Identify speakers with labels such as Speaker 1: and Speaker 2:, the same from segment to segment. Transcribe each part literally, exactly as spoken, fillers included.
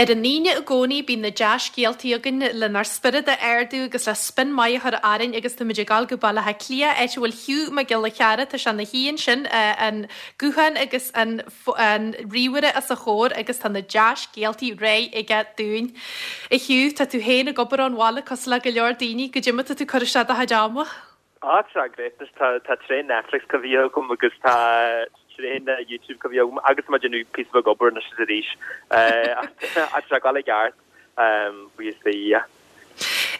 Speaker 1: Ar an Aoine i gcónaí bíonn na dea-scéaltaí againn lenár spiorad a ardú agus le spion maith a chur orainn agus táimid ag dul go Baile Átha Cliath, áit a bhfuil Hugh Mac Giolla Chearra, tá sé ina shuí ansin, an guthán agus an an ríomhaire os a chomhair agus tá na dea-scéaltaí réidh aige dúinn. A Hugh, tá tú féin ag obair ón bhaile cosúil le go leor daoine, goidé mar tá tú ag cur isteach do chuid ama?
Speaker 2: Á tá great tá tá tréan Netflix coimhthithe agam agus tá tréan YouTube coimhthithe agam agus tá mé ag déanamh píosa beag obair anois is arís ach tá go ceart buíochas le Dia.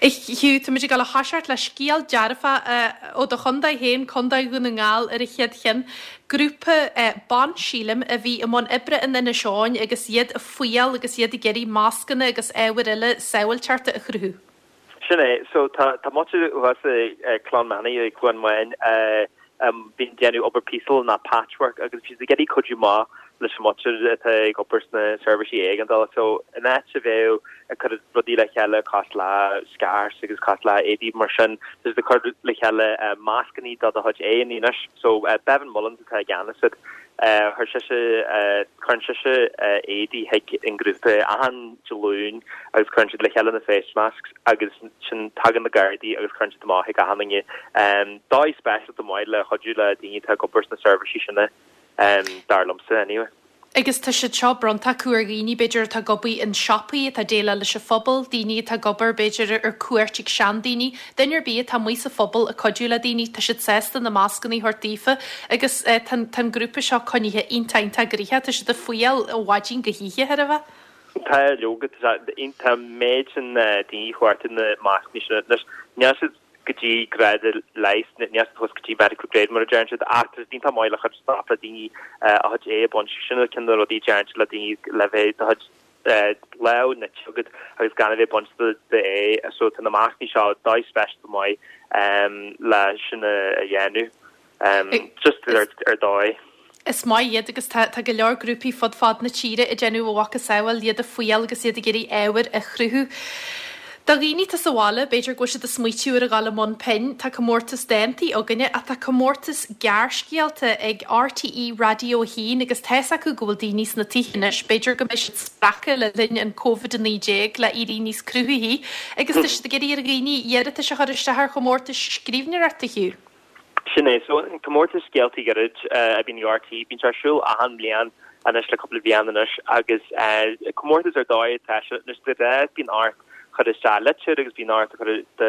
Speaker 1: A Hugh, táimid ag dul a thoiseacht le scéal dearfach ó do chontae féin, Contae Dhún na nGall ar an chéad cheann. Grúpa ban, sílim, a bhí i mbun oibre in Inis Eoghain agus iad ag fuíoll agus iad ag iarraidh mascanna agus ábhair eile sábháilteachta a chruthú.
Speaker 2: Sin é, so tá tá muintir thuas i Clann Manaí i Cluain Mháin bíonn déanamh obair píosail ná patchwork agus bhí siad ag iarraidh cuidiú maith leis an muintir atá ag obair sna seirbhísí éigeandála. So in áit a bheith ag cur rudaí le chéile cosúil le scarves agus cosúil le éadaí mar sin, tá siad ag cur le chéile mascannaí do do chuid aghaidheanna anois. So Bevan Mullins atá i gceannas air. Chuir sise cuireann sise éadaí chuig an grúpa achan Dé Luain agus cuireann siad le chéile na face masks agus sin tagann na Gardaí agus cuireann siad amach chuig achan duine. Dóigh speisialta maith le chuidiú le daoine atá ag obair sna seirbhísí sin dar liomsa anyway.
Speaker 1: Agus tá siad seo bronnta acu ar dhaoine b'fhéidir atá ag obair in siopaí atá ag déileáil leis an phobal, daoine atá ag obair b'fhéidir ar cuairt ag seandaoine, duine ar bith atá amuigh sa phobal ag cuidiú le daoine, tá siad sásta na mascanna a thabhairt daofa agus tá an grúpa seo coinnithe iontach iontach gnoitheach, tá siad ag fuíoll ó mhaidin go hoíche chóir a bheith.
Speaker 2: Tá leoga tá méid sin daoine chuarta na mascanna sin anois níl siad go dtí grád leighis, níl siad thuas go dtí medical grade mar a deireann siad ach tá siad iontach maith le cur stop le daoine a chuid aghaidh a bhaint sin ceann de na rudaí a deireann siad le daoine le bheith do chuid lámh nite agat agus gan a bheith ag baint d'aghaidh so tá na mascanna seo dóigh speisialta maith le sin a dhéanamh just ar ar dóigh.
Speaker 1: Is maith iad agus tá tá go leor grúpaí fud fad na tíre ag déanamh a mhacasamhail, iad ag fuíoll agus iad ag iarraidh ábhair a chruthú. Do dhaoine atá sa bhaile, b'fhéidir go bhfuil siad ag smaoitiú ar a dhul i mbun pinn, tá comórtas dántaí againne ach tá comórtas gearrscéalta ag RTÉ Raidió a haon agus tá's acu go bhfuil daoine sna tithe anois, b'fhéidir go mbeidh siad spreagtha le linn an Covid a naoi déag le éirí níos cruthaithí agus tá siad ag iarraidh ar dhaoine iarratais a chur isteach ar chomórtais scríbhneoireachta, Hugh.
Speaker 2: Sin é, so an comórtas scéaltaí gairid a bhíonn ag RTÉ, bíonn sé ar siúl achan mbliain anois le cúpla bliain anois agus comórtas ar dóigh atá sé anois de ghnáth bíonn ort cur isteach litir agus bíonn ort cur do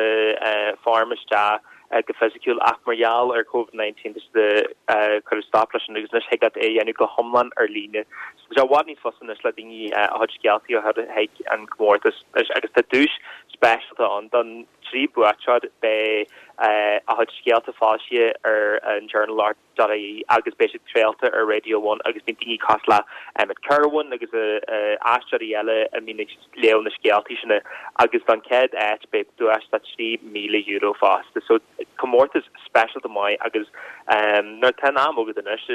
Speaker 2: form isteach go fisiciúil ach mar gheall ar Covid nineteen tá siad ag cur stop leis sin agus anois thig leat é a dhéanamh go hiomlán ar líne. So tá sé i bhfad níos fusa anois le daoine a chuid scéaltaí a chur chuig an gcomórtas agus tá duais speisialta ann don trí buaiteoir beidh a chuid scéalta foilsithe ar an Journal Art dot ie agus beidh siad craolta ar Radio One agus bíonn daoine cosúil le Emmet Kirwan agus aisteoirí eile a mbíonn ag léamh na scéaltaí sin agus don chéad áit beidh duais de trí míle euro fosta. So comórtas speisialta maith agus nuair atá an am agat anois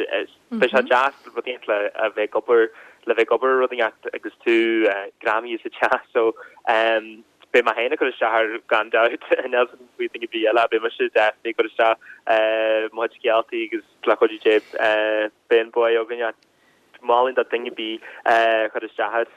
Speaker 2: beidh sé deas rud éigin le a bheith ag obair le bheith ag obair ar rud éigin agus tú greamaithe sa teach so Beidh mé féin ag cur isteach air gan dabht, níl a fhios agam faoi duine ar bith eile, beidh mise definitely ag cur isteach mo chuid scéaltaí agus le cuidiú Dé beidh an bua againn ach mholfainn do duine ar bith cur isteach air.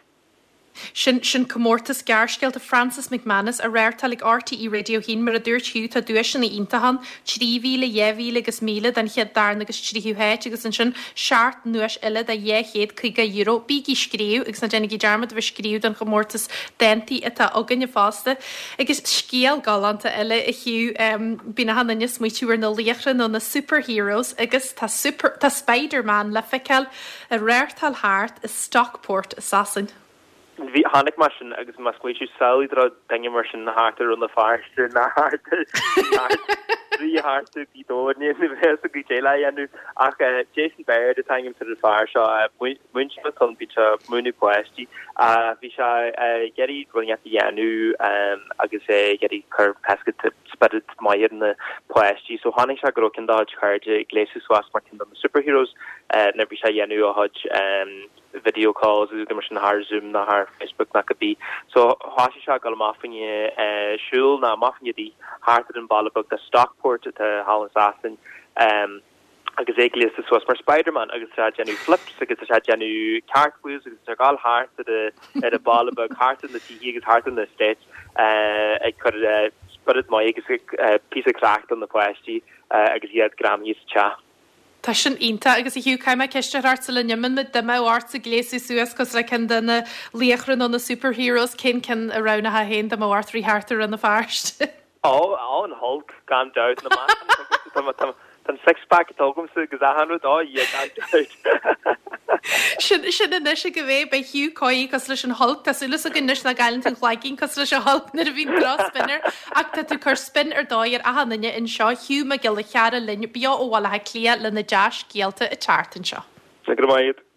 Speaker 1: Sin, sin comórtas gearrscéalta Francis McManus á reáchtáil ag RTÉ Radio a haon. Mar a dúirt Hugh, tá duaiseanna iontacha ann, trí mhíle, dhá mhíle agus míle don chéad, darna agus tríú háit agus ansin seacht nduais eile de dhá chéad caoga euro. Bígí ag scríobh agus ná déanaigí dearmad a bheith ag scríobh don chomórtas dántaí atá againne fosta. Agus scéal galánta eile a Hugh, bíonn achan duine ag smaoitiú ar na laochra nó na superheroes agus tá super, tá Spider-Man le feiceáil ag reáchtáil thart i Stockport i Sasain.
Speaker 2: Bhí, chonaic mé sin agus mé ag smaoitiú, samhlaigh dá raibh duine mar sin thart ar Rann na Feirste ná thart ar thrí thart ar Ghaoth Dobhair, ní bheadh a fhios acu goidé le dhéanamh. Ach Jason Baird atá ainm ar an fear seo, múinteoir atá ann, bíonn sé ag múineadh páistí. Bhí sé ag iarraidh rud inteacht a dhéanamh agus é ag iarraidh cur spiorad maith ar na páistí. So chonaic sé go raibh ceann dá chuid cairde ag gléasadh suas mar ceann de na superheroes nuair a bhí sé ag dhéanamh a chuid video calls agus rudaí mar sin thar Zoom ná thar Facebook ná cibé. So thoisigh sé ag dul amach fá choinne siúl ná amach fá choinne rith thart ar an bhaile beag de Stockport atá thall in Sasain agus é gléasta suas mar Spiderman agus tá sé ag déanamh flips agus tá sé ag déanamh cartwheels agus tá ag gabháil thart ar ar an baile beag thart ar na tithe agus thart ar an estate ag cur spiorad maith agus píosa craic do na páistí agus iad greamaithe sa teach.
Speaker 1: Tá sin iontach agus a Hugh caithfidh mé ceist a chur ort sula n-imíonn muid dá mbeadh ortsa gléasadh suas cosúil le ceann de na laochra nó na superheroes, cén ceann a roghnófá féin dá mbeadh ort rith thart ar Rann na Feirste?
Speaker 2: Ó, ó, an Hulk, gan dabht, na meáchain, tá an six pack atá agamsa agus achan rud, ó yeah, gan dabht.
Speaker 1: Sin sin anois ag a bheith, beidh Hugh Coyne cosúil leis an Hulk, tá súil againn anois nach gcailleann tú an cloigeann cosúil leis an Hulk nuair a bhíonn droch-spin air, ach tá tú ag cur spin ar dóigh ar achan duine anseo, Hugh Mac Giolla Chearra linn beo ó Bhaile Átha Cliath le na dea-scéalta ag teacht anseo.
Speaker 2: Go raibh maith agat.